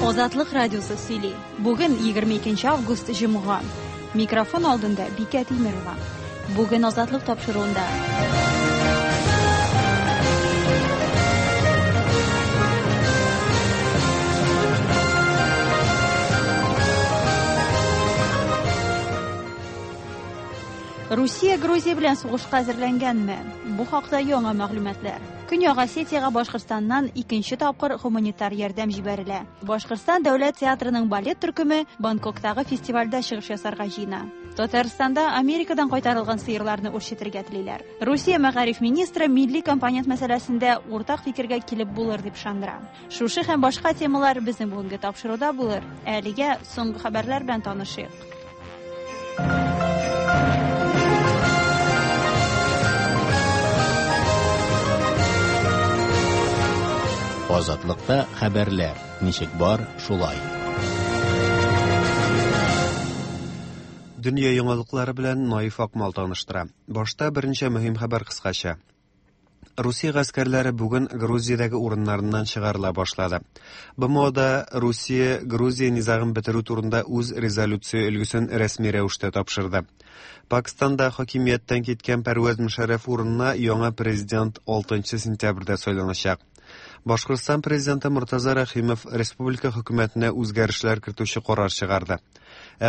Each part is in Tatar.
Азатлык радиосы сөйли. Бүген 22 август җомга. Микрофон алдында Бикә Тимерова. Бүген Азатлык тапшыруында. Русия Грузия белән сугышка әзерләнгәнме? Бу хакта яңа мәгълүматлар. Көньяк Осетиягә Башкортстаннан икенче тапкыр гуманитар ярдәм җибәрелә. Башкортстан дәүләт театрының балет төркеме Бангкоктагы фестивальдә чыгыш ясарга җыена. Татарстанда Америкадан кайтарылган сыерларны үрчетергә телиләр. Русия мәгариф министры милли компонент мәсьәләсендә уртак фикергә килеп булыр дип ышандыра. Шушы һәм башка темалар безнең бүгенге тапшыруда булыр. Ә әлегә соңгы хәбәрләр белән танышыйк. Азатлыкта хәбәрләр ничек бар, шулай. Дөнья яңалыклары белән Наиф Акмал таныштыра. Башта берничә мөһим хәбәр кыскача. Русия гаскәрләре бүген Грузиядәге урыннарыннан чыгарыла башлады. БМОда Русия Грузия низагын бетерү турында үз резолюция өлгесен рәсми рәвештә тапшырды. Пакистанда хакимияттән киткән Пәрвәз Мөшәррәф урынына яңа президент 6 сентябрьдә сайланачак. Башкортстан президенты Мортаза Рәхимов республика хөкүмәтенә үзгәрешләр кертүче карар чыгарды.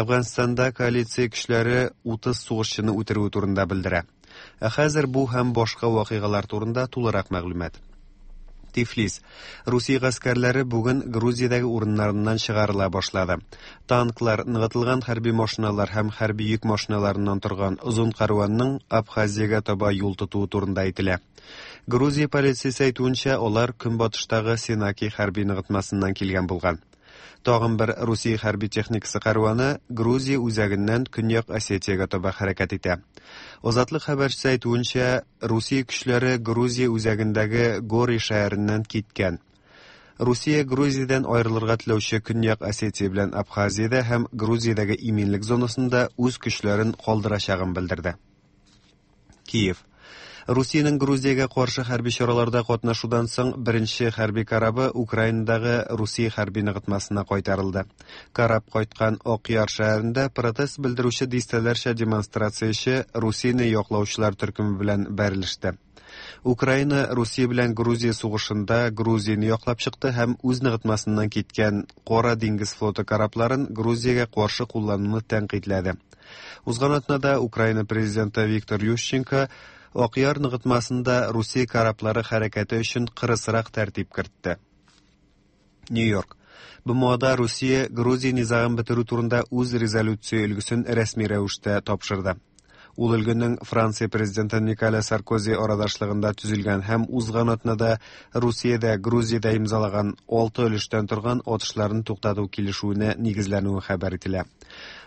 Әфганстанда коалиция көчләре 30 сугышчыны үтерүе турында белдерә. Ә хәзер бу һәм башка вакыйгалар турында тулырак мәгълүмат. Тифлис. Русия гаскәрләре бүген Грузиядәге урыннарыннан чыгарыла башлады. Танклар, ныгытылган хәрби машиналар һәм хәрби йөк машиналарыннан торган озын кәрванның Абхазиягә таба юл тотуы турында әйтелә. Грузия полициясе әйтүенчә, алар көнбатыштагы Сенаки хәрби ныгытмасыннан килгән булган. Тагын бер Русия хәрби техникасы кәрваны Грузия үзәгеннән Көньяк Осетиягә таба хәрәкәт итә. Азатлык хәбәрчесе әйтүенчә, Русия көчләре Грузия үзәгендәге Гори шәһәреннән киткән. Русия Грузиядән аерылырга теләүче Көньяк Осетия белән Абхазиядә һәм Грузиядәге иминлек зонасында үз көчләрен калдырачагын белдерде. Киев. Русиянең Грузиягә каршы хәрби чараларда катнашудан соң беренче хәрби корабы Украинадагы Русия хәрби ныгытмасына кайтарылды. Кораб кайткан Акъяр шәһәрендә протест белдерүче дистәләрчә демонстрацияче Русияне яклаучылар төркеме белән бәрелеште. Украина Русия белән Грузия сугышында Грузияне яклап чыкты һәм үз ныгытмасыннан киткән Кара диңгез флоты корабларын Грузиягә каршы куллануны тәнкыйтьләде. Узган атнада Украина президенты Виктор Ющенко Акъяр ныгытмасында Русия кораблары хәрәкәте өчен кырысрак тәртип кертте. Нью-Йорк. БМОда Русия Грузия низагын бетерү турында үз резолюция өлгесен рәсми рәвештә тапшырды. Ул өлгенең Франция президенты Николя Саркози арадашлыгында төзелгән һәм узган атнада Русиядә Грузиядә имзалаган алты өлештән торган атышларны туктату килешүенә нигезләнүе хәбәр ителә.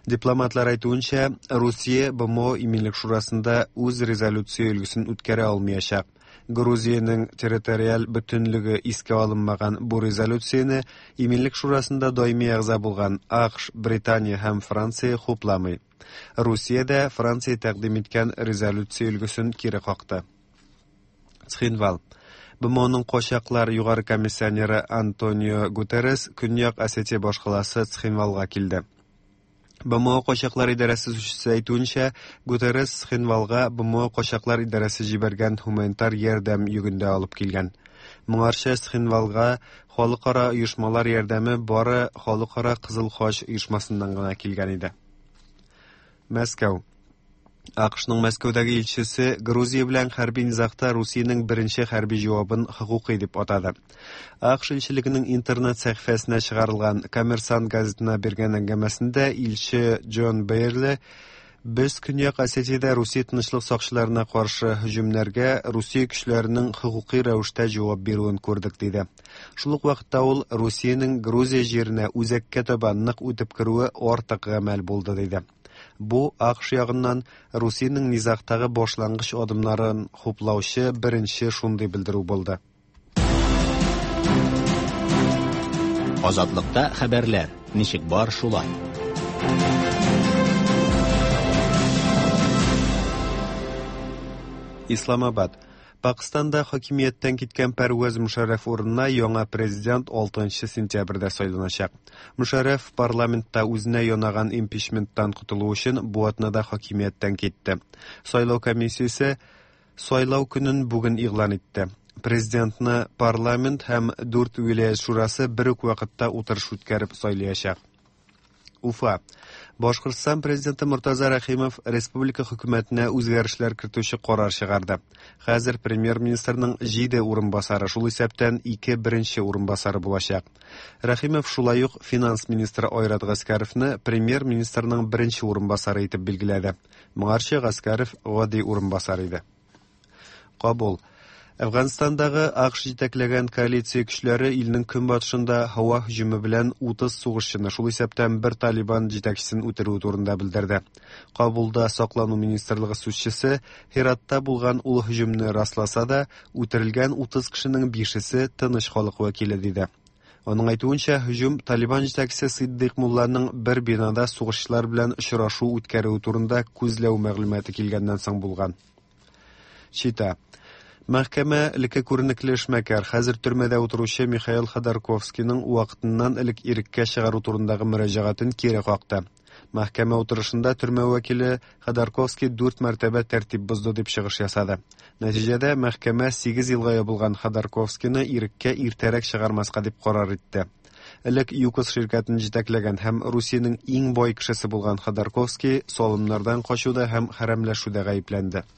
Дипломатлар әйтүенчә, Русия БМО Иминлек шурасында үз резолюция өлгесен үткәрә алмыячак. Грузиянең территориаль бөтенлеге искә алынмаган бу резолюцияне Иминлек шурасында даими әгъза булган АКШ, Британия һәм Франция хупламый. Русия дә Франция тәкъдим иткән резолюция өлгесен кире какты. Цхинвал. БМОның качаклар югары комиссионеры Антонио Гутеррес Көньяк Осетия башкаласы Цхинвалга килде. БМО качаклар идарәсе сүзчесе әйтүенчә, Гутеррес Цхинвалга БМО качаклар идарәсе җибәргән гуманитар ярдәм йөгендә алып килгән. Моңарчы Цхинвалга халыкара оешмалар ярдәме бары Халыкара Кызыл Хач оешмасыннан гына килгән иде. Мәскәү. АКШның Мәскәүдәге илчесе Грузия белән хәрби низагта Русиянең беренче хәрби җавабын хокукый дип атады. АКШ илчелегенең интернет сәхифәсенә чыгарылган Коммерсант газетына биргән әңгәмәсендә илче Джон Бейерли Без Көньяк Осетиядә Русия тынычлык сакчыларына каршы һөҗүмнәргә Русия көчләренең хокукый рәвештә җавап бирүен күрдек, диде. Шул ук вакытта ул Русиянең Грузия җиренә үзәккә таба нык үтеп керүе артык гамәл булды, диде. Бу АКШ ягыннан Русиянең низагтагы башлангыч адымнарын хуплаучы беренче шундый белдерү булды. Азатлыкта хәбәрләр ничек бар, шулай. Исламабад. Пакыстанда хакимияттән киткән Пәрвәз Мөшәррәф урынына яңа президент 6 сентябрьдә сайланачак. Мөшәррәф парламентта үзенә янаган импичменттан котылу өчен бу атнада хакимияттән китте. Сайлау комиссиясе сайлау көнен бүген игълан итте. Президентны парламент һәм дүрт вилаять шурасы бер үк вакытта утырыш үткәреп сайлаячак. Уфа. Башкортстан президенты Мортаза Рәхимов республика хөкүмәтенә үзгәрешләр кертүче карар чыгарды. Хәзер премьер-министрның 7 урынбасары, шул исәптән 2 беренче урынбасары булачак. Рәхимов шулай ук финанс министры Айрат Гаскәровны премьер-министрның беренче урынбасары итеп билгеләде. Моңарчы Гаскәров гади урынбасар иде. Кабул. Әфганстандагы АКШ җитәкләгән коалиция көчләре илнең көнбатышында һава һөҗүме белән 30 сугышчыны, шул исәптән бер Талибан җитәкчесен үтерүе турында белдерде. Кабулда саклану министрлыгы сүзчесе Һиратта булган ул һөҗүмне расласа да, үтерелгән 30 кешенең бишесе тыныч халык вәкиле диде. Аның әйтүенчә, һөҗүм Талибан җитәкчесе Сиддыйк мулланың бер бинада сугышчылар белән очрашу үткәрүе турында күзләү мәгълүматы килгәннән соң булган. Чита. Мәхкәмә элекке күренекле эшмәкәр, хәзер төрмәдә утыручы Михаил Ходорковскийның вакытыннан элек иреккә чыгару турындагы мөрәҗәгатен кире какты. Мәхкәмә утырышында төрмә вәкиле Ходорковский дүрт мәртәбә тәртип бозды дип чыгыш ясады. Нәтиҗәдә мәхкәмә 8 елга ябылган Ходорковскийны иреккә иртәрәк чыгармаска дип карар итте. Элек ЮКОС ширкәтен җитәкләгән һәм Русиянең иң бай кешесе булган Ходорковский салымнардан качуда һәм хәрәмләшүдә гаепләнде.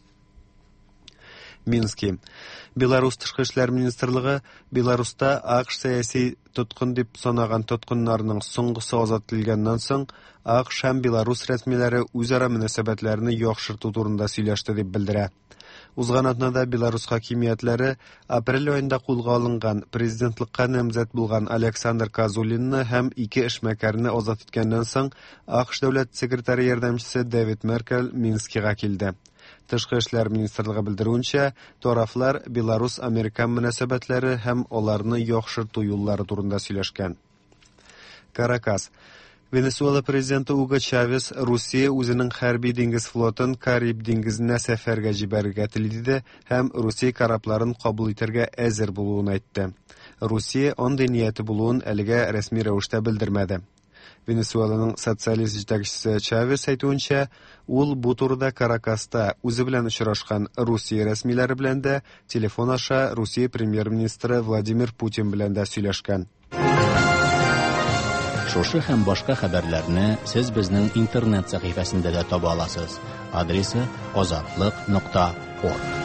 Мински. Беларус тышкы эшләр министрлыгы Беларуста АКШ сәяси тоткын дип санаган тоткыннарның соңгысы азат ителгәннән соң АКШ һәм Беларус рәсмиләре үзара мөнәсәбәтләрне яхшырту турында сөйләште дип белдерә. Узган атнада Беларус хакимиятләре апрель аенда кулга алынган президентлыкка намзәт булган Александр Козулинны һәм ике эшмәкәрне азат иткәннән соң АКШ дәүләт секретаре ярдәмчесе Дэвид Меркель Минскига килде. Тышкы эшләр министрлыгы белдерүенчә, тарафлар Беларус-американ мөнәсәбәтләре һәм аларны яхшырту юллары турында сөйләшкән. Каракас. Венесуэла президенты Уго Чавес Русия үзенең хәрби диңгез флотын Кариб диңгезенә сәфәргә җибәрергә тели диде һәм Русия корабларын кабул итәргә әзер булуын әйтте. Русия андый нияте булуын әлегә рәсми рәвештә белдермәде. Венесуэланың социалист җитәкчесе Чавес әйтүенчә, ул бу турыда Каракаста үзе белән очрашкан Русия рәсмиләре белән дә, телефон аша Русия премьер-министры Владимир Путин белән дә сөйләшкән. Шушы һәм башка хәбәрләрне сез безнең интернет сәхифәсендә дә таба аласыз. Адресы azatliq.org.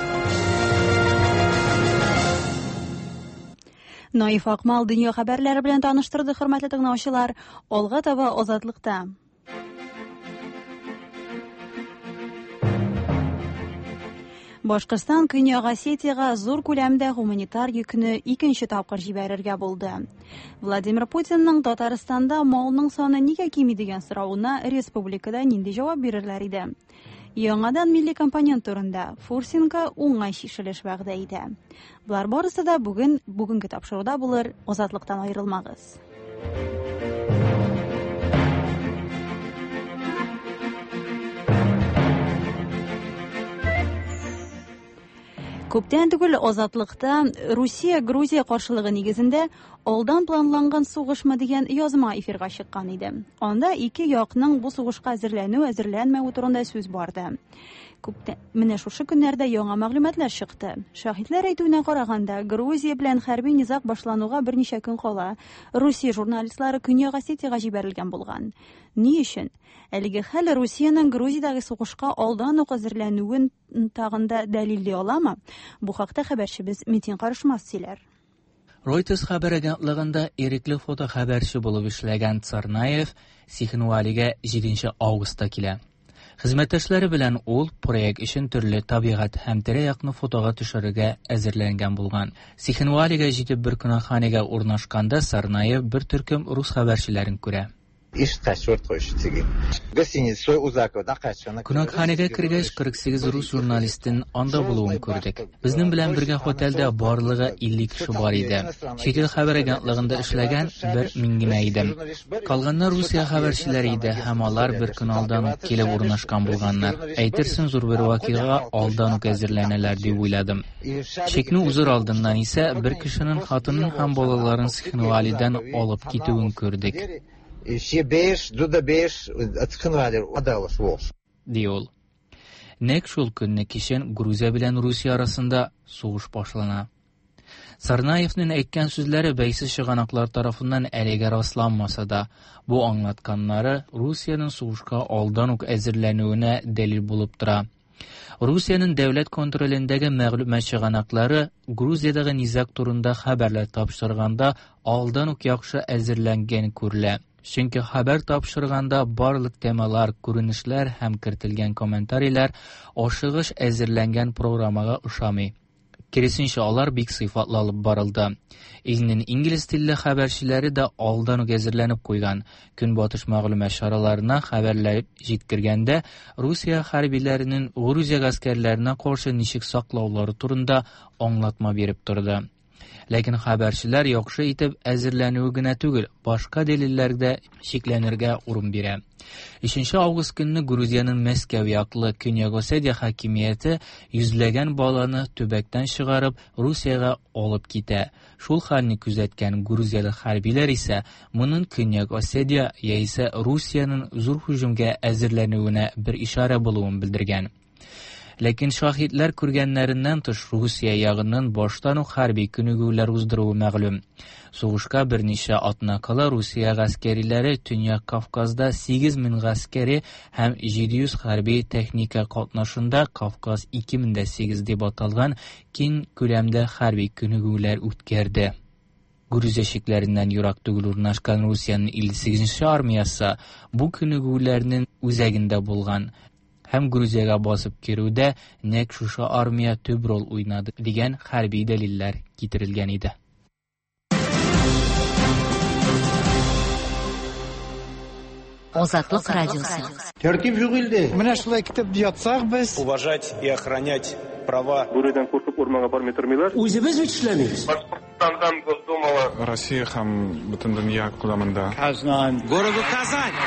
Наиф Акмал дөнья хәбәрләре белән таныштырды, хөрмәтле тыңлаучылар. Алга таба Азатлыкта. Башкортстан Көньяк Осетиягә зур күләмдә гуманитар йөкне икенче тапкыр җибәрергә булды. Владимир Путинның Татарстанда малның саны нигә кими дигән соравына республикада нинди җавап бирерләр иде? Яңадан милли компонент турында Фурсенко уңай чишелеш вәгъдә итә. Болар барысы да бүген бүгенге тапшыруда булыр. Азатлыктан аерылмагыз. Күптән түгел Азатлыкта Русия-Грузия каршылыгы нигезендә алдан планланган сугышмы дигән язма эфирга чыккан иде. Анда ике якның бу сугышка әзерләнү, әзерләнмәве турында сүз барды. Күптән менә шушы көннәрдә яңа мәгълүматлар чыкты. Шаһитләр әйтүенә караганда, Грузия белән хәрби низаг башлануга берничә көн кала Русия журналистлары Көньяк Осетиягә җибәрелгән булган. Ни өчен? Әлеге хәл Русиянең Грузиядәге сугышка алдан ук әзерләнүен тагын да дәлилли аламы? Бу хакта хәбәрчебез Метин Карышмас сөйләр. Reuters хәбәр агентлыгында ирекле фотохәбәрче булып эшләгән Царнаев Цхинвалига 7 августта килә. Хезмәттәшләре белән ул проект өчен төрле табигать һәм тирә-якны фотога төшерергә әзерләнгән булган. Цхинвалига җитеп бер кунакханәгә урнашканда Царнаев бер төркем рус хәбәрчеләрен күрә. Кунакханәгә кергәч, 48 рус журналистын анда булуын күрдек. Безнең белән бергә һотелдә барлыгы 50 кеше бар иде. Чит ил хәбәр агентлыгында эшләгән бер мин генә идем. Калганнар Русия хәбәрчеләре иде һәм алар бер көн алдан ук килеп урнашкан булганнар. Әйтерсең, зур бер вакыйгага алдан ук әзерләнәләр дип уйладым. Чикне узыр алдыннан исә бер кешенең хатынын һәм балаларын Цхинвалидан алып китүен күрдек. Ди ул. Нәкъ шул көнне кичен Грузия белән Русия арасында сугыш башлана. Царнаевның әйткән сүзләре бәйсез чыганаклар тарафыннан әлегә расланмаса да, бу аңлатканнары Русиянең сугышка алдан ук әзерләнүенә дәлил булып тора. Русиянең дәүләт контролендәге мәгълүмат чыганаклары Грузиядәге низаг турында хәбәрләр тапшырганда алдан ук яхшы әзерләнгән күрелә. Чөнки хәбәр тапшырганда барлык темалар, күренешләр һәм кертелгән комментарийлар ашыгыч әзерләнгән программага ошамый. Киресенчә, алар бик сыйфатлы алып барылды. Илнең инглиз телле хәбәрчеләре дә алдан ук әзерләнеп куйган. Көнбатыш мәгълүмат чараларына хәбәрләр җиткергәндә, Русия хәрбиләренең Грузия гаскәрләренә каршы ничек саклаулары турында аңлатма биреп торды. Ләкин хәбәрчеләр яхшы итеп әзерләнүе генә түгел, башка дәлилләр дә шикләнергә урын бирә. 3 август көнне Грузиянең Мәскәү яклы Көньяк Осетия хакимияте йөзләгән баланы төбәктән чыгарып, Русиягә алып китә. Шул хәлне күзәткән грузияле хәрбиләр исә моның Көньяк Осетия яисә Русиянең зур һөҗүмгә әзерләнүенә бер ишарә булуын белдергән. Ләкин шаһитләр күргәннәреннән тыш Русия ягыннан баштан ук хәрби күнегүләр уздыруы мәгълүм. Сугышка берничә атна кала Русия гаскәриләре Төньяк Кавказда 8000 гаскәри һәм 700 хәрби техника катнашында Кавказ 2008 дип аталган киң күләмдә хәрби күнегүләр үткәрде. Грузия чикләреннән ерак түгел урнашкан Русиянең 58 армиясе бу күнегүләрнең үзәгендә булган һәм Грузиягә басып керүдә нәкъ шушы армия төп роль уйнады дигән хәрби дәлилләр китерелгән иде. Азатлык радиосы. Тәртип юк илдә. Менә шулай китеп ятсак без. Уважать и охранять права. Бүредән куркып урманга бармый тормыйлар. Үзебез бит эшләмибез. Башкортстандан Госдумага. Россия һәм бөтен дөнья күләмендә. Казан. Городу Казань.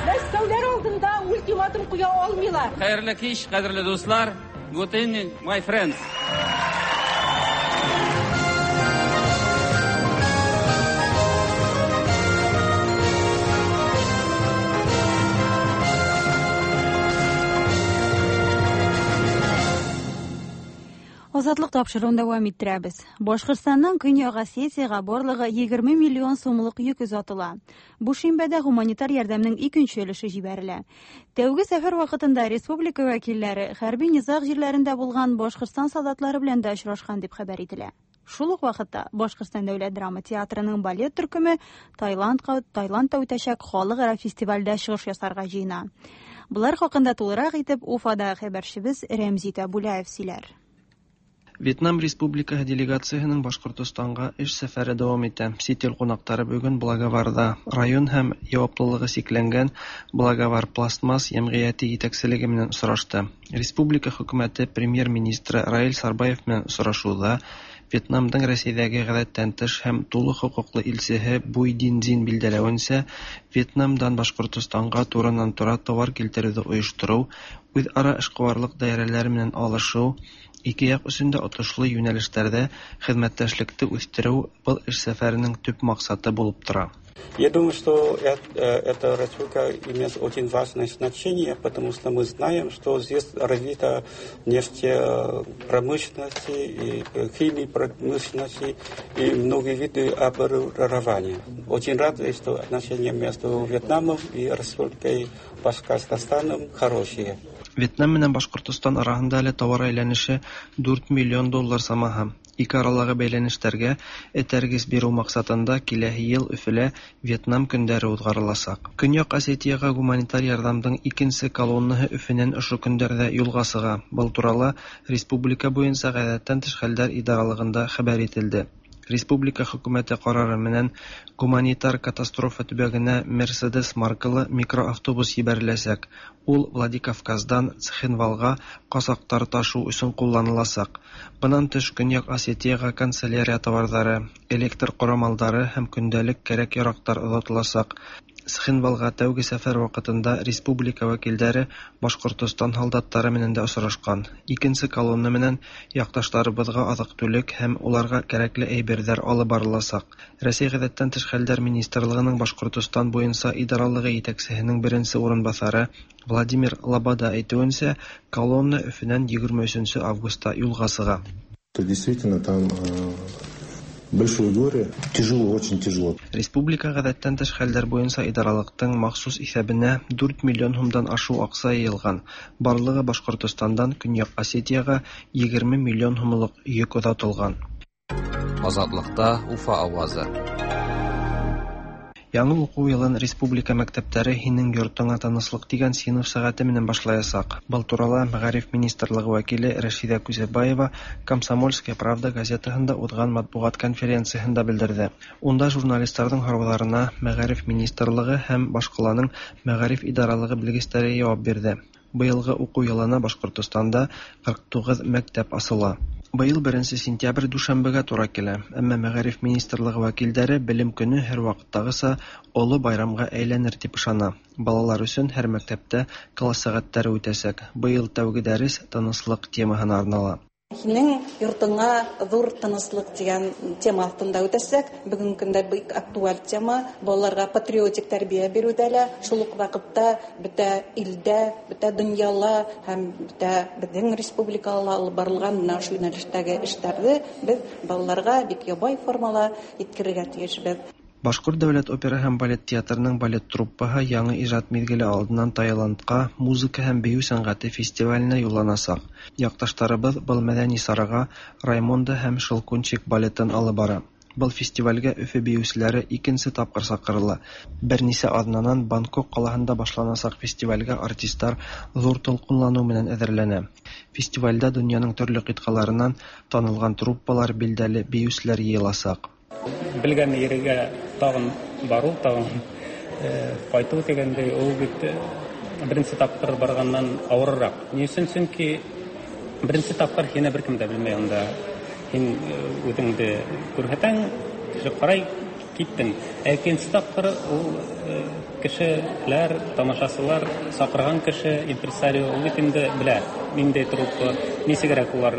Мәскәүләр алдында ультиматум куя алмыйлар. Хәерле кич, кадерле дуслар. Good evening, my friends. Азатлык тапшыруын дәвам иттерәбез. Башкортстанның Көньяк Осетиягә барлыгы 20 миллион сумлык йөк озатыла. Бу шимбәдә гуманитар ярдәмнең икенче өлеше җибәрелә. Тәүге сәфәр вакытында республика вәкилләре хәрби низаг җирләрендә булган Башкортстан солдатлары белән дә очрашкан дип хәбәр ителә. Шул ук вакытта Башкортстан дәүләт драма театрының балет төркеме Таиландка Таиландта үтәчәк халыкара фестивальдә чыгыш ясарга җыена. Болар хакында тулырак итеп Уфада хәбәрчебез Рәмзи Тәбүләев сөйләр. Вьетнам Республикаһы делегацияһының Башкортостанга эш сәфәре дәвам итә. Чит ил кунаклары бүген Благоварда район һәм яваплылыгы чикләнгән Благовар Пластмасс җәмгыяте җитәкчелеге белән очрашты. Республика хөкүмәте премьер-министры Раил Сарбаев белән очрашуда Вьетнамның Рәсәйдәге гадәттән тыш һәм тулы хокуклы илчеһе Буй Дин Зин билдәләвенчә, Вьетнамдан Башкортостанга турыннан-тура товар килтерүне оештыру, үзара эшкуарлык даирәләре белән алышу, ике як өчен дә отышлы юнәлешләрдә хезмәттәшлекне үстерү был эш сәфәренең төп максаты булып тора. Я думаю, что эта республика имеет очень важное значение, потому что мы знаем, что здесь развита нефтепромышленность и химия промышленности и многие виды оборудования. Очень рад, что отношения между Вьетнамом и Республикой Башкортостаном хорошие. Вьетнам менән Башкортостан араһында әле товар әйләнеше 4 миллион доллар самаһы. Ике аралағы бәйләнешләргә этәргес бирү максатында киләһе ел Өфөлә Вьетнам көндәре уҙғарыласаҡ. Көньяҡ Осетияға гуманитар ярҙамдың икенсе колоннаһы Өфөнән ошо көндәрҙә юлға сыға. Был турала республика буйынса ғәҙәттән тыш хәлдәр идаралығында хәбәр ителде. Республика хөкүмәте карары менән гуманитар катастрофа төбәгенә Мерседес маркалы микроавтобус ебәреләсәк. Ул Владикавказдан Цхинвалга казактар ташу өчен кулланыласак. Бынан тыш Көньяк Осетиягә канцелярия товарлары, электр корамалдары һәм көндәлек кәрәк-ярактар озатыласак. Цхинвалга тәүге сәфәр вакытында республика вәкилдәре Башкортостан һалдаттары менән дә осрашкан. Икенче колонна менән якташларыбызга азык-түлек һәм уларга кәрәкле әйберҙәр алып барыласаҡ. Рәсәй ғәҙәттән тыш хәлдәр министрлығының Башҡортостан буйынса идаралығы етәксеһенең беренсе урынбаҫары Владимир Лобода әйтеүенсә, колонна Өфөнән 23 августта юлға сыға. Действительно, там большое горе. Тяжело, очень тяжело. Республика ғәҙәттән тыш хәлдәр буйынса идаралыҡтың махсус иҫәбенә 4 миллион һумдан ашыу аҡса йыйылған. Барлығы Башҡортостандан Көньяҡ Осетияға 20 миллион һумлыҡ йөк оҙатылған. Азатлыкта Уфа авазы. Яңы уҡыу йылын республика мәктәптәре «Һинең йортоңа тыныслыҡ» тигән синыф сәғәте менән башлаясаҡ. Был турала Мәғариф министрлығы вәкиле Рәшиҙә Күзәбаева «Комсомольская правда» газетаһында уҙған матбуғат конференцияһында белдерҙе. Унда журналистарҙың һорауҙарына Мәғариф министрлығы һәм башҡаланың мәғариф идаралығы белгестәре яуап бирҙе. Быйылғы уҡыу йылына Башҡортостанда 49 мәктәп асыла. Быйыл 1 сентябрь дүшәмбегә тура килә, әммә Мәғариф министрлығы вәкилдәре белем көнө һәр ваҡыттағыса оло байрамға әйләнер тип ышана. Балалар өсөн һәр мәктәптә класс сәғәттәре үтәсәк. Быйыл тәүге дәрес тыныслыҡ темаһына арнала. Һинең йортоңа ҙур тыныслыҡ тигән тема аҫтында үтәсәк. Бөгөнгө көндә бик актуаль тема. Балаларға патриотик тәрбиә биреүҙә лә, шул уҡ ваҡытта бөтә илдә, бөтә донъяла һәм бөтә беҙҙең республикала алып барылған бына ошо йүнәлештәге эштәрҙе беҙ балаларға бик ябай формала еткерергә тейешбеҙ. Башҡорт дәүләт опера һәм балет театрының балет труппаһы яңы ижад миҙгеле алдынан Таиландҡа музыка һәм бейеү сәнғәте фестиваленә юлланасаҡ. Яҡташтарыбыҙ был мәҙәни сараға Раймонда һәм Шелкунчик балетын алып бара. Был фестивалгә Өфө бейеүселәре икенсе тапҡыр саҡырыла. Бер нисә аҙнанан Бангкок ҡалаһында башланасаҡ фестивалгә артистар ҙур тулҡынланыу менән әҙерләнә. Фестивалдә донъяның төрлө ҡитғаларынан танылған труппалар, билдәле бейеүселәр йыйыласаҡ. Белгән ергә тағын барыу, тағын ҡайтыу тигәндәй, ул бит беренсе тапҡыр барғандан ауырыраҡ. Ни өсөн? Сөнки беренсе тапҡыр һине бер кем дә белмәй унда. Һин үҙеңде күрһәтәң, кеше ҡарай, киттең. Ә икенсе тапҡыр ул кешеләр, тамашасылар, саҡырған кеше, импресарио, ул бит инде белә, ниндәй труппа, нисегерәк улар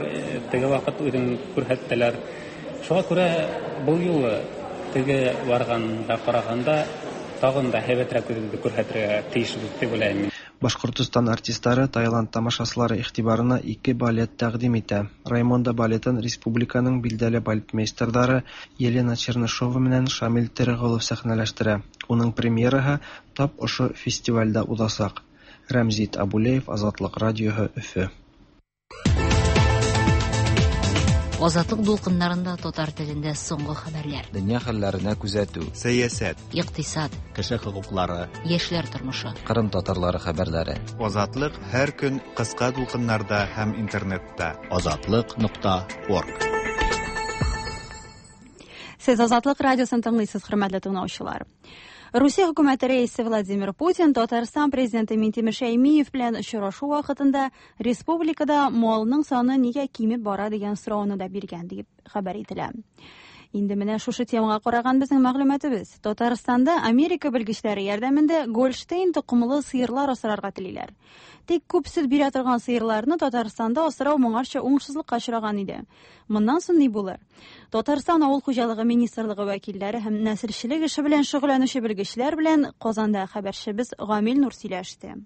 теге ваҡыт үҙен күрһәттеләр. Шуға күрә был юлы теге барғанға ҡарағанда тағын да һәйбәтерәк үҙебеҙҙе күрһәтергә тейешбеҙ тип уйлайым. Башҡортостан артистары Таиланд тамашасылары иғтибарына 2 балет тәҡдим итә. Раймонда балетын республиканың билдәле балетмейстерҙары Елена Чернышова менән Шамил Тереғолов сәхнәләштерә. Уның премьераһы тап ошо фестивалдә уҙасаҡ. Рәмзит Абулеев, Азатлыҡ радиоһы, Өфө. Азатлык дулкыннарында татар телендә соңгы хәбәрләр. Дөнья хәлләренә күзәтү, сәясәт, икътисад, кеше хокуклары, яшьләр тормышы, Кырым татарлары хәбәрләре. Азатлык һәр көн кыска дулкыннарда һәм интернетта. Азатлык.org. Сез Азатлык радиосын тыңлыйсыз, хөрмәтле тыңлаучылар. Русия хөкүмәте рәисе Владимир Путин Татарстан президенты Минтимер Шәймиев белән очрашу вакытында республикада малның саны нигә кимеп бара дигән сорауны да биргән дип хәбәр ителә. Инде менә шушы темага караган безнең мәгълүматыбыз. Татарстанда Америка белгечләре ярдәмендә Гольштейн токымлы сыерлар асрарга телиләр. Тик күп сөт бирә торган сыерларны Татарстанда асрау моңарча уңышсызлыкка очраган иде. Моннан соң ни булыр? Татарстан авыл хуҗалыгы министрлыгы вәкилләре һәм нәселчелек эше белән шөгыльләнүче белгечләр белән Казанда хәбәрчебез Гамил Нур сөйләште.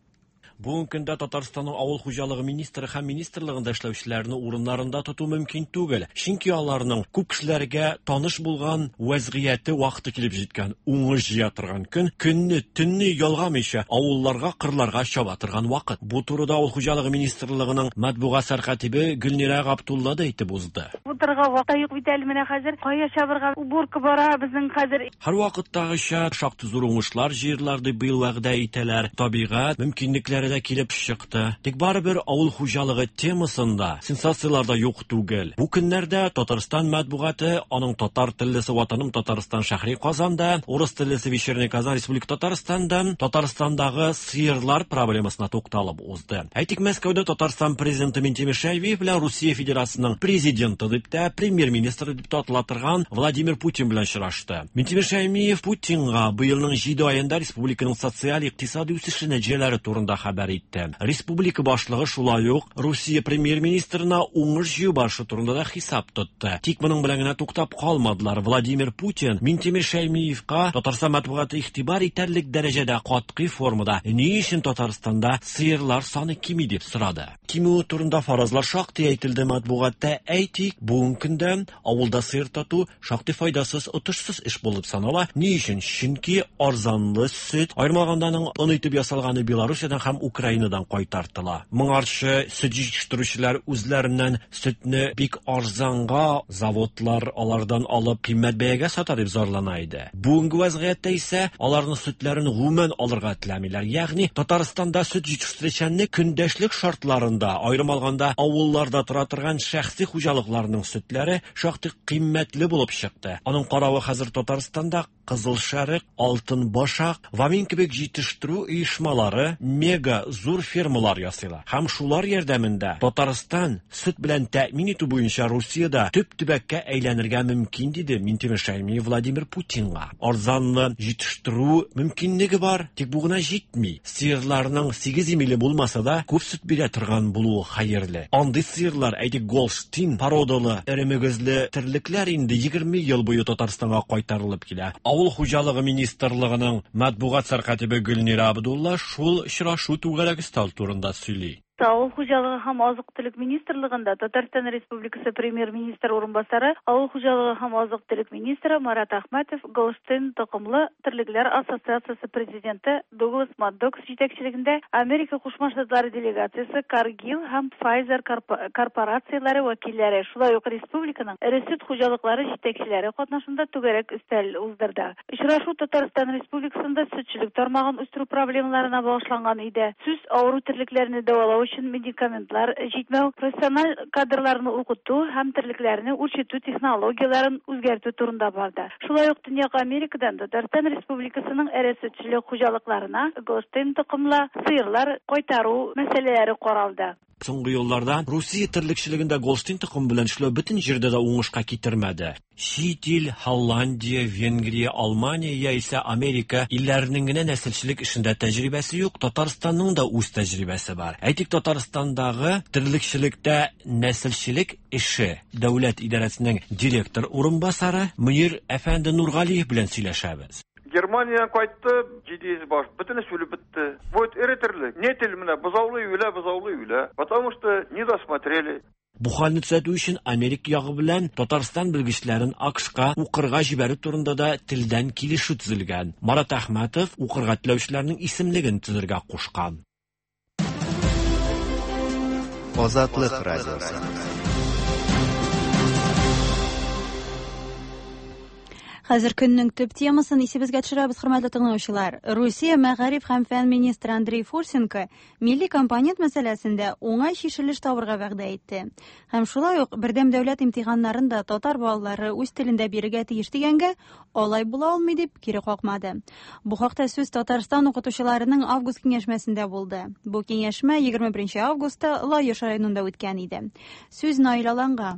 Бүгенге көндә Татарстанның авыл хуҗалыгы министры һәм министрлыгында эшләүчеләрне урыннарында тоту мөмкин түгел. Чөнки аларның күп кешеләргә таныш булган вәзгыяте вакыты килеп җиткән, уңыш җыя торган көн, көнне, төнне ялгамыйча авылларга, кырларга чаба торган вакыт. Бу турыда авыл хуҗалыгы министрлыгының матбугат сәркатибе Гөлнира Габдулла да әйтеп узды. Утырга вакыт юк бит әле, менә хәзер кая чабырга, уборка бара безнең хәзер. Һәр вакыттагыча шактый зур уңышлар җыерлар дип быел вәгъдә итәләр. Табигать мөмкинлекләре хәбәрләре дә килеп чыкты. Тик барыбер авыл хуҗалыгы темасында сенсацияләр дә юк түгел. Бу көннәрдә Татарстан матбугаты, аның татар теллесе Ватаным Татарстан шәһри Казанда, урыс теллесе Вечерний Казан Республика Татарстанда Татарстандагы сыерлар проблемасына тукталып узды. Әйтик, Мәскәүдә Татарстан президенты Минтимер Шәймиев белән Русия Федерациясенең президенты дип тә, премьер-министры дип тә атала торган Владимир Путин белән очрашты. Минтимер Шәймиев Путинга быелның 7 аенда республиканың социаль-икътисади үсеше нәтиҗәләре турында хәбәр итте. Республика башлыгы шулай ук Русия премьер-министрына уңыш җыю барышы турында да хисап тотты. Тик моның белән генә туктап калмадылар. Владимир Путин Минтимер Шәймиевка Татарстан матбугаты игътибар итәрлек дәрәҗәдә катгый формада ни өчен Татарстанда сыерлар саны кими дип сорады. Кимүе турында фаразлар шактый әйтелде матбугатта. Әйтик, бүгенге көндә авылда сыер тоту шактый файдасыз, отышсыз эш булып санала. Ни өчен? Чөнки арзанлы сөт, аерым алганда аның он итеп ясалганы Белоруссиядән һәм Украинадан кайтартыла. Моңарчы сөт җитештерүчеләр үзләреннән сөтне бик арзанга заводлар алардан алып кыйммәт бәягә сата дип зарлана иде. Бүгенге вәзгыятьтә исә аларның сөтләрен гомумән алырга теләмиләр. Ягъни Татарстанда сөт җитештерүчәнлек көндәшлек шартларында, аерым алганда авылларда тора торган шәхси хуҗалыкларның сөтләре шактый кыйммәтле булып чыкты. Аның каравы хәзер Татарстанда Кызыл Шәрык, Алтын Башак, Вамин кебек җитештерү оешмалары мега зур фермалар ясыйлар. Һәм шулар ярдәмендә Татарстан сөт белән тәэмин итү буенча Русиядә төп төбәккә әйләнергә мөмкин, диде Минтимер Шәймиев Владимир Путинга. Арзанлы җитештерү мөмкинлеге бар, тик бу гына җитми. Сыерларның сигез имиле булмаса да, күп сөт бирә торган булуы хәерле. Андый сыерлар, әйтик, Голштин породалы эре мөгезле терлекләр инде 20 ел буе Татарстанга кайтарылып килә. Авыл хуҗалыгы министрлыгының матбугат сәркатибе Гөлнирә Абдулла шул очрашу түгәрәк өстәл турында сөйли. Авыл хуҗалыгы һәм азык-төлек министрлыгында Татарстан Республикасы Премьер-министры урынбасары, авыл хуҗалыгы һәм азык-төлек министры Марат Әхмәтов Голштин токымлы терлекләр ассоциациясе президенты Дуглас Маддокс җитәкчелегендә Америка Кушма Штатлары делегациясе, Cargill һәм Pfizer корпорацияләре вәкилләре, шулай ук республиканың эре сөт хуҗалыклары җитәкчеләре катнашында түгәрәк өстәл уздырды. Очрашу Татарстан Республикасында сөтчелек тармагын үстерү проблемаларына багышланган иде. Сүз авыру терлекләрне дәвалау өчен медикаментлар җитмәү, профессиональ кадрларны укыту һәм терлекләрне үрчетү технологияләрен үзгәртү турында барды. Шулай ук Төньяк Америкадан Татарстан Республикасының эре сөтчелек хуҗалыкларына голштин токымлы сыерлар кайтару мәсьәләләре каралды. Соңгы елларда Русия терлекчелегендә голштин токымы белән эшләү бөтен җирдә дә уңышка китермәде. Чит ил, Һолландия, Венгрия, Алмания яисә Америка илләренең генә нәселчелек эшендә тәҗрибәсе юк, Татарстанның да үз тәҗрибәсе бар. Әйтик, Татарстандагы терлекчелектә нәселчелек эше дәүләт идарәсенең директор урынбасары Мөнир әфәнде Нургалиев белән сөйләшәбез. Германиядән кайтты, 700 баш, бөтенесе үлеп бетте. Вот эре терлек. Нетель менә бозаулый үлә, бозаулый үлә. Потому что не досмотрели. Бу хәлне төзәтү өчен Америка ягы белән Татарстан белгечләрен АКШка укырга җибәрү турында да телдән килешү төзелгән. Марат Әхмәтов укырга теләүчеләрнең исемлеген төзергә кушкан. Азатлык радиосы. Хәзер көннең төп темасын исебезгә төшерәбез, хөрмәтле тыңлаучылар. Русия мәгариф һәм фән министры Андрей Фурсенко милли компонент мәсьәләсендә уңай чишелеш табырга вәгъдә итте. Һәм шулай ук бердәм дәүләт имтиханнарын да татар балалары үз телендә бирергә тиеш дигәнгә алай була алмый дип кире какмады. Бу хакта сүз Татарстан укытучыларының август киңәшмәсендә булды. Бу киңәшмә 21 августта Лаеш районында үткән иде. Сүз Наил Аланга.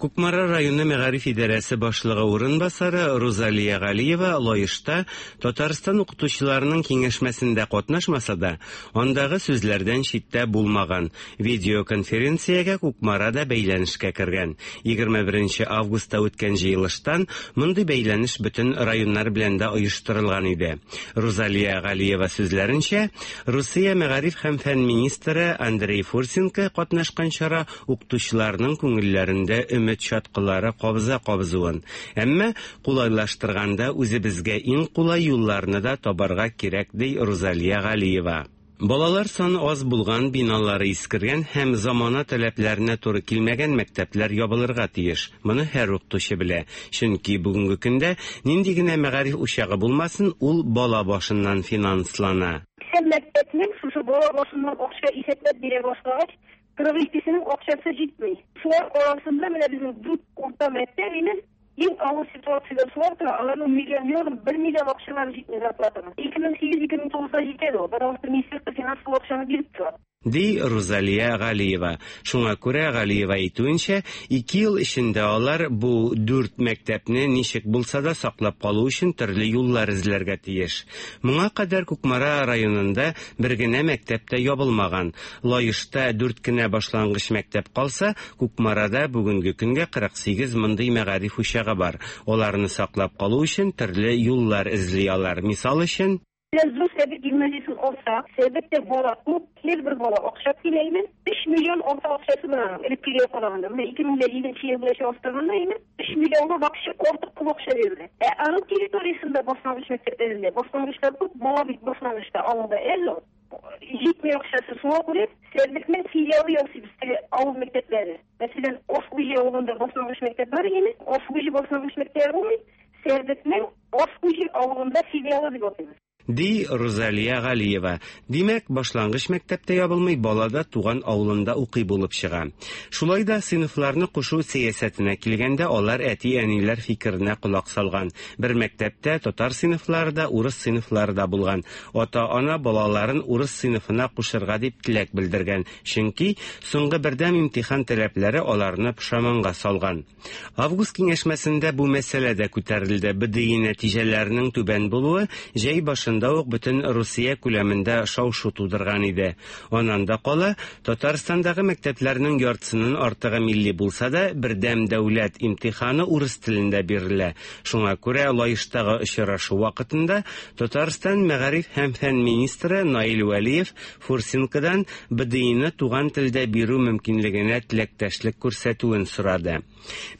Кукмара районы мәгариф идарәсе башлыгы урынбасары Рузалия Галиева Лаешта Татарстан укытучыларының киңәшмәсендә катнашмаса да, андагы сүзләрдән читтә булмаган. Видеоконференциягә Кукмара да бәйләнешкә кергән. 21 августта үткән җыелыштан мондый бәйләнеш бөтен районнар белән дә оештырылган иде. Рузалия Галиева сүзләренчә, Русия мәгариф һәм фән министры Андрей Фурсенко катнашкан чара укытучыларның күңелләрендә өмет чаткылары кабыза кабызуын. Әмма кулайлаштырганда үзебезгә иң кулай юлларны да табарга кирәк, ди Рузалия Галиева. Балалар саны аз булган, биналары искергән һәм замана таләпләренә туры килмәгән мәктәпләр ябылырга тиеш. Моны һәр укытучы белә. Чөнки бүгенге көндә нинди генә мәгариф учагы булмасын, ул бала башыннан финанслана. 80 мәктәпнең шушы бала башыннан акча исәпләп бирә башлагач, 42сенең акчасы җитми. Шулар арасында менә безнең дүрт урта мәктәп име, иң авыр ситуациядә шулар тора, аларның миллион ярым, бер миллион акчалары җитми зарплатаның. 2008-2009-да җитә ул, потому что Министерство финансов ул акчаны биреп тора. Ди Рузалия Галиева. Шуңа күрә, Галиева әйтүенчә, ике ел эчендә алар бу дүрт мәктәпне ничек булса да саклап калу өчен төрле юллар эзләргә тиеш. Моңа кадәр Кукмара районында бер генә мәктәп тә ябылмаган. Лаешта дүрт кенә башлангыч мәктәп калса, Кукмарада бүгенге көнгә 48 мондый мәгариф учагы бар. Аларны саклап калу өчен төрле юллар эзли алар. Мисал өчен, Менә Зур Сәбит гимназиясен алсак, Сәбиттә бала күп, һәрбер бала акча түләйме? 3 миллион арта акчасы бар аның, элеккегә караганда. Менә 2007 ел белән чагыштырганда, әйме, 3 миллионга вообще артык күп акча бирелә. Ә аның территориясендә башлангыч мәктәпләрендә башлангычлар күп, бала бит башлангычта авылда әз ул. Җитми акчасы. Шуңа күрә Сәрдекнең филиалы ясыйбыз теге авыл мәктәпләре. Мәсәлән, Ошбуҗи авылында башлангыч мәктәп бар иде, Ошбуҗи башлангыч мәктәбе булмый, Сәрдекнең Ошбуҗи авылында филиалы дип атыйбыз. Ди Рузалия Галиева. Димәк, башлангыч мәктәп тә ябылмый, бала да туган авылында укый булып чыга. Шулай да сыйныфларны кушу сәясәтенә килгәндә, алар әти-әниләр фикеренә колак салган. Бер мәктәптә татар сыйныфлары да, урыс сыйныфлары да булган. Ата-ана балаларын урыс сыйныфына кушырга дип теләк белдергән, чөнки соңгы бердәм имтихан таләпләре аларны пошаманга салган. Август киңәшмәсендә бу мәсьәлә дә күтәрелде. БДИ нәтиҗәләренең түбән булуы җәй башында ук бөтен Русия күләмендә шау-шу тудырган иде. Аннан да кала, Татарстандагы мәктәпләрнең яртысыннан артыгы милли булса да, бердәм дәүләт имтиханы урыс телендә бирелә. Шуңа күрә Лаештагы очрашу вакытында Татарстан мәгариф һәм фән министры Наил Вәлиев Фурсенкодан БДИны туган телдә бирү мөмкинлегенә теләктәшлек күрсәтүен сорады.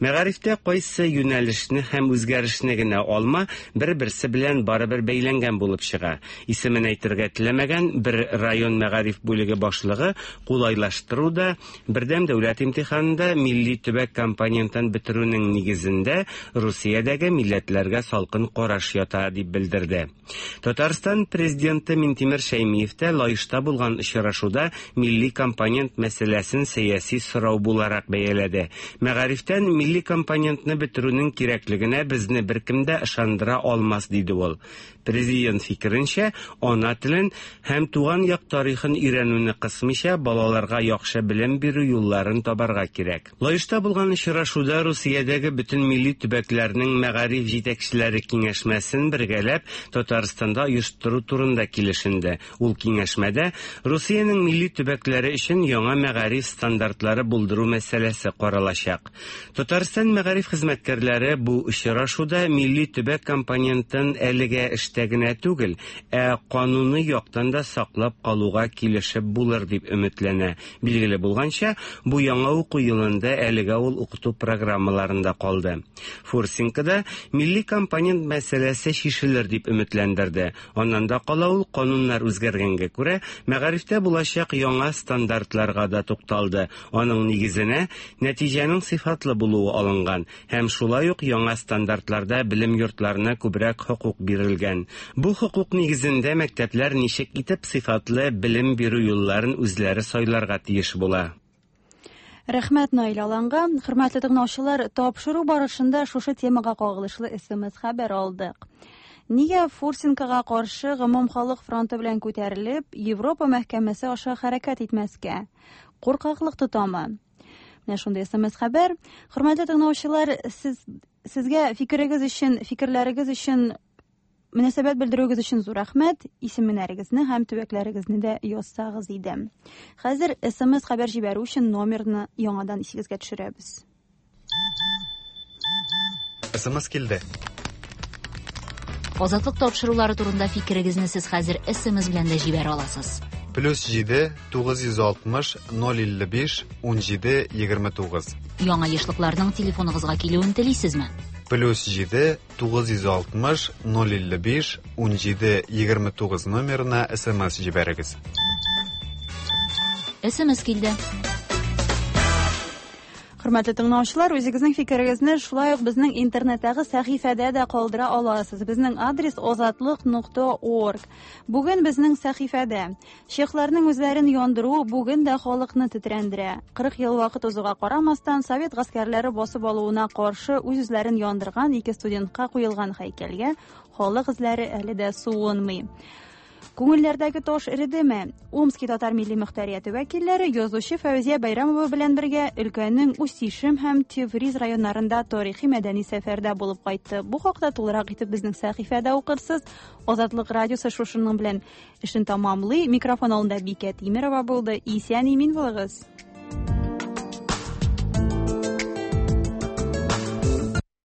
Мәгарифтә кайсы юнәлешне һәм үзгәрешне генә алма, бер-берсе белән барыбер бәйләнгән булып чыга. Исемен әйтергә теләмәгән бер район мәгариф бүлеге башлыгы кулайлаштыру да, бердәм дәүләт имтиханында милли төбәк компонентын бетерүнең нигезендә Русиядәге милләтләргә салкын караш ята, дип белдерде. Татарстан Президенты Минтимер Шәймиев тә Лаешта булган очрашуда милли компонент мәсьәләсен сәяси сорау буларак бәяләде. Мәгарифтән милли компонентны бетерүнең кирәклегенә безне беркем дә ышандыра алмас, диде ул. Президент фикеренчә, ана телен һәм туган як тарихын өйрәнүне кысмыйча, балаларга яхшы белем бирү юлларын табарга кирәк. Лаешта булган очрашуда Русиядәге бөтен милли төбәкләрнең мәгариф җитәкчеләре киңәшмәсен бергәләп Татарстанда оештыру турында килешенде. Ул киңәшмәдә Русиянең милли төбәкләре өчен яңа мәгариф стандартлары булдыру мәсьәләсе каралачак. Татарстан мәгариф хезмәткәрләре бу очрашуда милли төбәк компонентын әлегә эштә генә түгел, ә кануный яктан да саклап калуга килешеп булыр дип өметләнә. Билгеле булганча, бу яңа уку елында әлегә ул укыту программаларында калды. Фурсенко да милли компонент мәсьәләсе чишелер дип өметләндерде. Аннан да кала ул кануннар үзгәргәнгә күрә, мәгарифтә булачак яңа стандартларга да тукталды. Аның нигезенә нәтиҗәнең сыйфатлы булуы алынган. Һәм шулай ук яңа стандартларда белем йортларына күбрәк хокук бирелгән. Бу хокук нигезендә мәктәпләр ничек итеп сыйфатлы белем бирү юлларын үзләре сайларга тиеш була. Рәхмәт Наил Аланга. Хөрмәтле тыңлаучылар, тапшыру барышында шушы темага кагылышлы смс хәбәр алдык. Нигә Фурсенкога каршы гомумхалык фронты белән күтәрелеп, Европа мәхкәмәсе аша хәрәкәт итмәскә? Куркаклык тотамы? Менә шундый смс хәбәр. Хөрмәтле тыңлаучылар, сез сезгә фикерегез өчен, фикерләрегез өчен мөнәсәбәт белдерүегез өчен зур рәхмәт. Исемнәрегезне һәм төбәкләрегезне дә язсагыз иде. Хәзер смс хәбәр җибәрү өчен номерны яңадан исегезгә төшерәбез. СМС килде. Азатлык тапшырулары турында фикерегезне сез хәзер СМС белән дә җибәрә аласыз. Плюс 7 960 055 17 29. Яңа ешлыкларның телефоныгызга килүен телисезме? Плюс 7 960 055 17 29 номерына СМС җибәрегез. СМС килде. Хөрмәтле тыңлаучылар, үзегезнең фикерегезне шулай ук безнең интернеттагы сәхифәдә дә калдыра аласыз. Безнең адрес озатлык.орг. Бүген безнең сәхифәдә чехларның үзләрен яндыруы бүген дә халыкны тетрәндерә. 40 ел вакыт узуга карамастан, совет гаскәрләре басып алуына каршы үз-үзләрен яндырган ике студентка куелган һәйкәлгә халык эзләре әле дә суынмый. Күңелләрдәге таш эредеме? Омски татар милли мөхтәрияте вәкилләре язучы Фәүзия Бәйрәмова белән бергә өлкәнең Усть-Ишем һәм Тевриз районнарында тарихи-мәдәни сәфәрдә булып кайтты. Бу хакта тулырак итеп безнең сәхифәдә укырсыз. Азатлык радиосы шушының белән эшен тәмамлый. Микрофон алдында Бикә Тимерова булды. Исән-имин булыгыз.